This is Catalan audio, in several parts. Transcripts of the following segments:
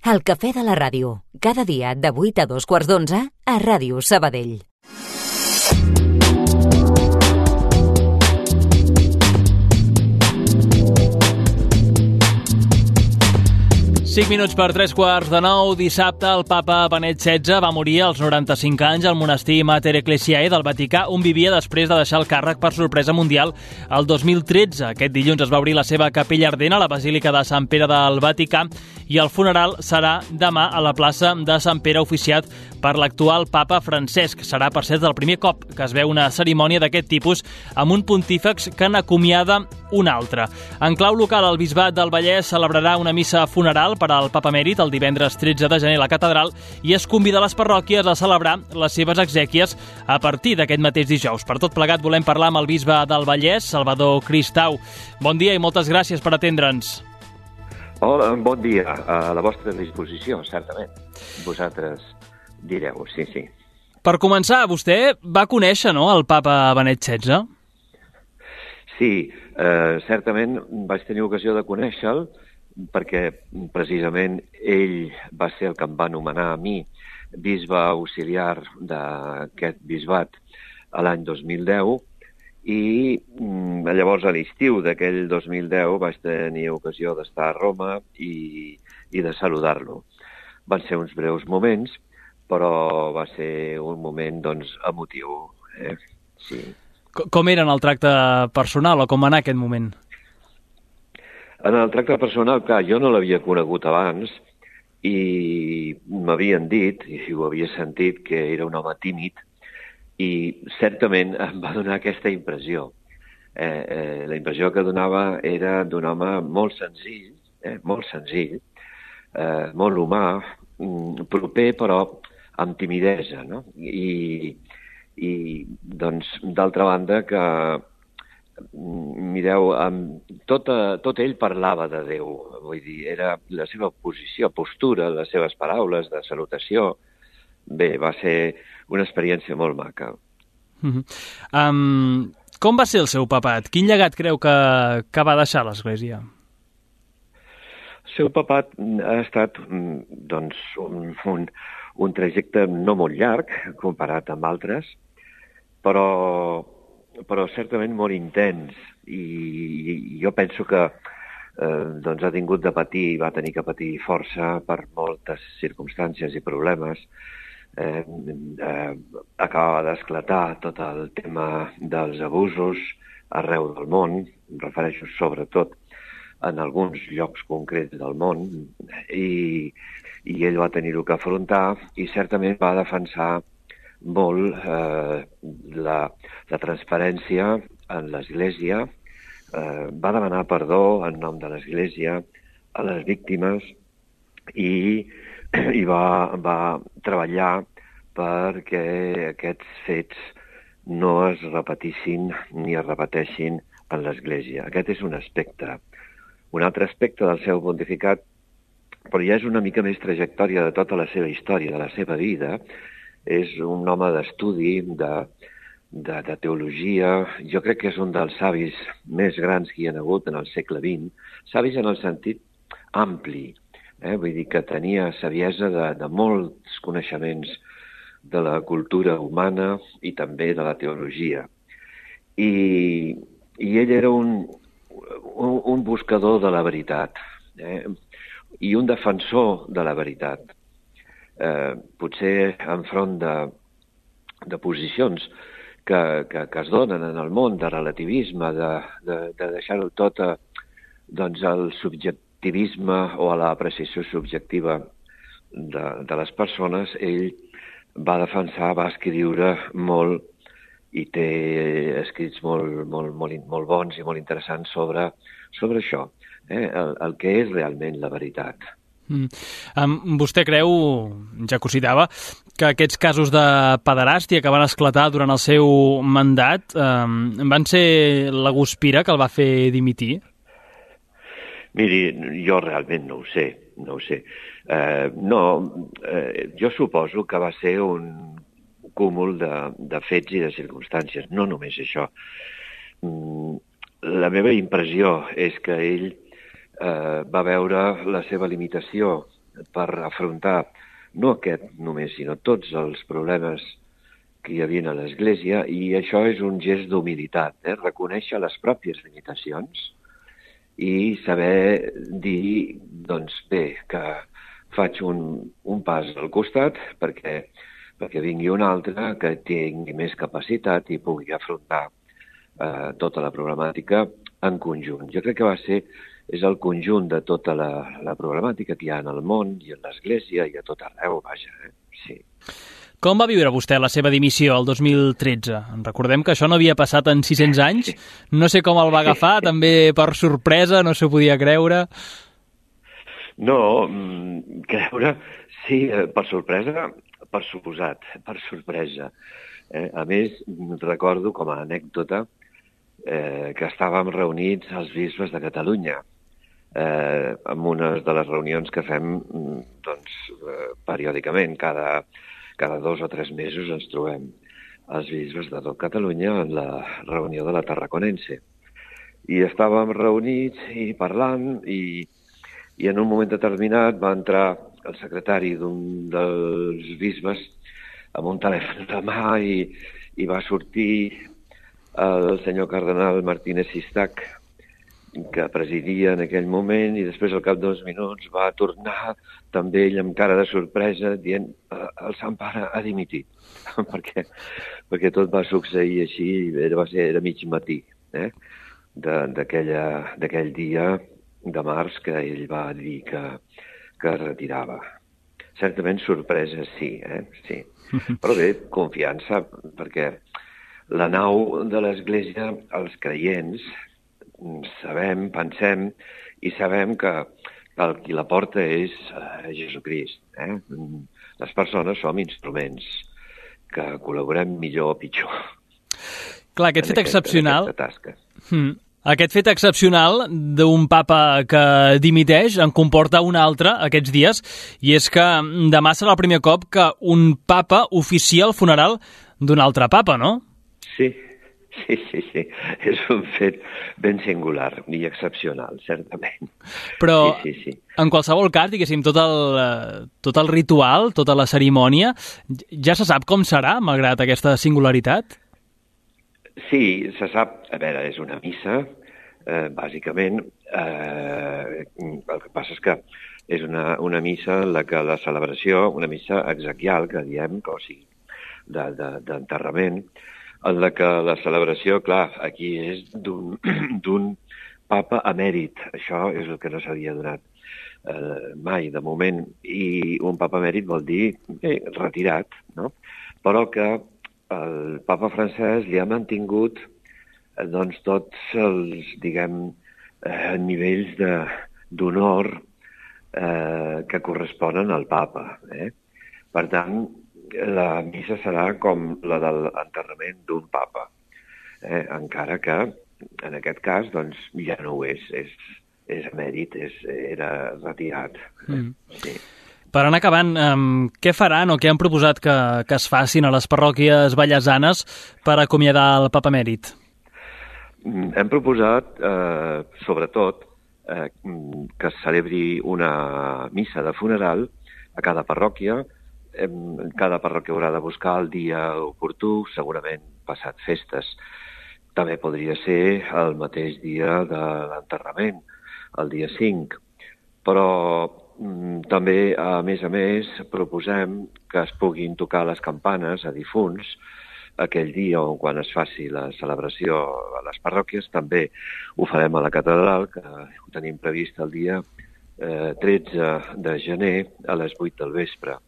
El cafè de la ràdio, cada dia de 8 a 2:15 a Ràdio Sabadell. Cinc minuts per 8:45, dissabte el papa Benet XVI va morir als 95 anys al monestir Mater Ecclesiae del Vaticà, on vivia després de deixar el càrrec per sorpresa mundial el 2013. Aquest dilluns es va obrir la seva capella ardent a la Basílica de Sant Pere del Vaticà i el funeral serà demà a la plaça de Sant Pere, oficiat per l'actual papa Francesc. Serà, per cert, el primer cop que es veu una cerimònia d'aquest tipus amb un pontífex que n'acomiada un altre. En clau local, el Bisbat del Vallès celebrarà una missa funeral per al papa emèrit el divendres 13 de gener a la catedral i es convida les parròquies a celebrar les seves exèquies a partir d'aquest mateix dijous. Per tot plegat volem parlar amb el bisbe del Vallès, Salvador Cristau. Bon dia i moltes gràcies per atendre'ns. Hola, bon dia. A la vostra disposició, certament. Vosaltres direu, sí. Per començar, vostè va conèixer, no?, el papa Benet XVI? Sí, certament vaig tenir ocasió de conèixer-lo perquè precisament ell va ser el que em va anomenar a mi bisbe auxiliar d'aquest bisbat a l'any 2010 i llavors a l'estiu d'aquell 2010 vaig tenir ocasió d'estar a Roma i de saludar-lo. Van ser uns breus moments, però va ser un moment, doncs, emotiu. Sí. Com era en el tracte personal o com va anar aquest moment? En el tracte personal, clar, jo no l'havia conegut abans i m'havien dit, i ho havia sentit, que era un home tímid i certament em va donar aquesta impressió. La impressió que donava era d'un home molt senzill, molt humà, proper però amb timidesa, no? I doncs, d'altra banda, que mireu, tot ell parlava de Déu, vull dir, era la seva postura, les seves paraules de salutació. Bé, va ser una experiència molt maca. Com va ser el seu papat? Quin llegat creu que va deixar l'Església? El seu papat ha estat, doncs, un trajecte no molt llarg, comparat amb altres, però certament molt intens, i jo penso que doncs ha tingut de patir, va tenir que patir força per moltes circumstàncies i problemes. Acabava d'esclatar tot el tema dels abusos arreu del món, em refereixo sobretot en alguns llocs concrets del món, i ell va tenir-ho que afrontar i certament va defensar molt la transparència en l'Església, va demanar perdó en nom de l'Església a les víctimes i va treballar perquè aquests fets no es repetissin ni es repeteixin en l'Església. Aquest és un aspecte. Un altre aspecte del seu pontificat, però ja és una mica més trajectòria de tota la seva història, de la seva vida. És un home d'estudi, de teologia. Jo crec que és un dels savis més grans que hi ha hagut en el segle XX. Savis en el sentit ampli. Vull dir que tenia saviesa de molts coneixements de la cultura humana i també de la teologia. I ell era un buscador de la veritat, i un defensor de la veritat. Potser enfront de posicions que es donen en el món, de relativisme, de deixar-ho tot al subjectivisme o a l'apreciació subjectiva de les persones, ell va defensar, va escriure molt i té escrits molt bons i molt interessants sobre això, el que és realment la veritat. Vostè creu, ja que ho citava, que aquests casos de pederàstia que van esclatar durant el seu mandat van ser la guspira que el va fer dimitir? Miri, jo realment no ho sé. Jo suposo que va ser un cúmul de fets i de circumstàncies, no només això. La meva impressió és que ell va veure la seva limitació per afrontar no aquest només, sinó tots els problemes que hi havia a l'Església, i això és un gest d'humilitat, reconèixer les pròpies limitacions i saber dir, doncs bé, que faig un pas al costat perquè vingui un altre que tingui més capacitat i pugui afrontar tota la problemàtica en conjunt. Jo crec que és el conjunt de tota la problemàtica que hi ha en el món i en l'Església i a tot arreu, vaja, sí. Com va viure vostè la seva dimissió el 2013? Recordem que això no havia passat en 600 anys. No sé com el va agafar, també per sorpresa, no s'ho podia creure. No, creure, sí, per sorpresa, per suposat, per sorpresa. A més, recordo com a anècdota que estàvem reunits els bisbes de Catalunya en una de les reunions que fem periòdicament, cada 2 o 3 mesos ens trobem els bisbes de tot Catalunya en la reunió de la Tarraconense. I estàvem reunits i parlant i en un moment determinat va entrar el secretari d'un dels bisbes amb un telèfon de mà i va sortir el senyor cardenal Martínez Sistac, que presidia en aquell moment, i després al cap d'2 minuts va tornar també ell amb cara de sorpresa dient el Sant Pare ha dimitit, perquè tot va succeir així, era mig matí d'aquell dia de març que ell va dir que es retirava. Certament sorpresa sí, sí. Però bé, confiança, perquè la nau de l'Església, els creients, sabem, pensem i sabem que el qui la porta és Jesucrist. Les persones som instruments que col·laborem millor o pitjor. Clar, aquest fet excepcional... Aquest fet excepcional d'un papa que dimiteix en comporta un altre aquests dies, i és que demà serà el primer cop que un papa oficia el funeral d'un altre papa, no? Sí. És un fet ben singular i excepcional, certament. Però sí. En qualsevol cas, diguéssim, tot el ritual, tota la cerimònia, ja se sap com serà, malgrat aquesta singularitat? Sí, se sap. A veure, és una missa, bàsicament. El que passa és que és una missa en la que la celebració, una missa exequial, que diem, o sigui, d'enterrament, en la que la celebració, clar, aquí és d'un papa emèrit. Això és el que no s'havia donat mai, de moment. I un papa emèrit vol dir retirat, no? Però que el papa francès li ha mantingut tots els, diguem, nivells d'honor que corresponen al papa. Per tant, la missa serà com la de l'enterrament d'un papa, encara que en aquest cas doncs, ja no ho és emèrit, era retirat. Sí. Per anar acabant, què faran o què han proposat que es facin a les parròquies vallesanes per acomiadar el papa emèrit? Hem proposat, sobretot, que es celebri una missa de funeral a cada parròquia. Cada parròquia haurà de buscar el dia oportú, segurament passat festes. També podria ser el mateix dia de l'enterrament, el dia 5. Però també, a més, proposem que es puguin tocar les campanes a difunts aquell dia o quan es faci la celebració a les parròquies. També ho farem a la catedral, que ho tenim previst el dia 13 de gener a les 8 del vespre.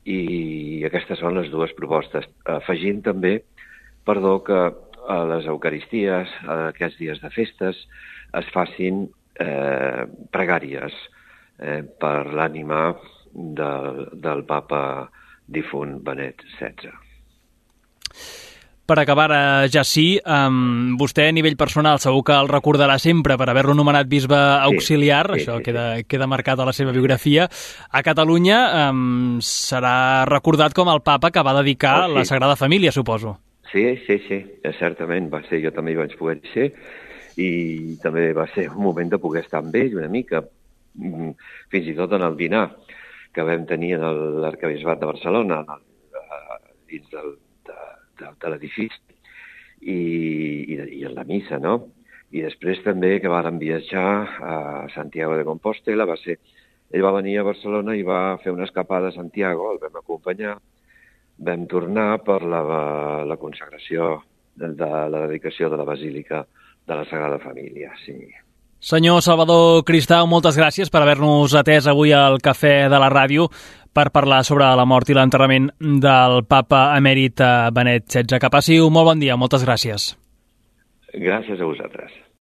I aquestes són les dues propostes. Afegint també, que a les eucaristies, a aquests dies de festes, es facin pregàries per l'ànima del papa difunt Benet XVI. Per acabar, ja sí, vostè a nivell personal segur que el recordarà sempre per haver-lo nomenat bisbe auxiliar, això queda marcat a la seva biografia. A Catalunya serà recordat com el papa que va dedicar la Sagrada Família, suposo. Sí, certament, va ser, jo també hi vaig poder ser, i també va ser un moment de poder estar amb ell una mica, fins i tot en el dinar que vam tenir en l'Arquebisbat de Barcelona, dins de l'edifici, i en la missa, no? I després també que vàrem viatjar a Santiago de Compostela, ell va venir a Barcelona i va fer una escapada a Santiago, el vam acompanyar, vam tornar per la consagració de la dedicació de la Basílica de la Sagrada Família, sí. Senyor Salvador Cristau, moltes gràcies per haver-nos atès avui al Cafè de la Ràdio per parlar sobre la mort i l'enterrament del papa emèrit Benet XVI. Que passi un molt bon dia, moltes gràcies. Gràcies a vosaltres.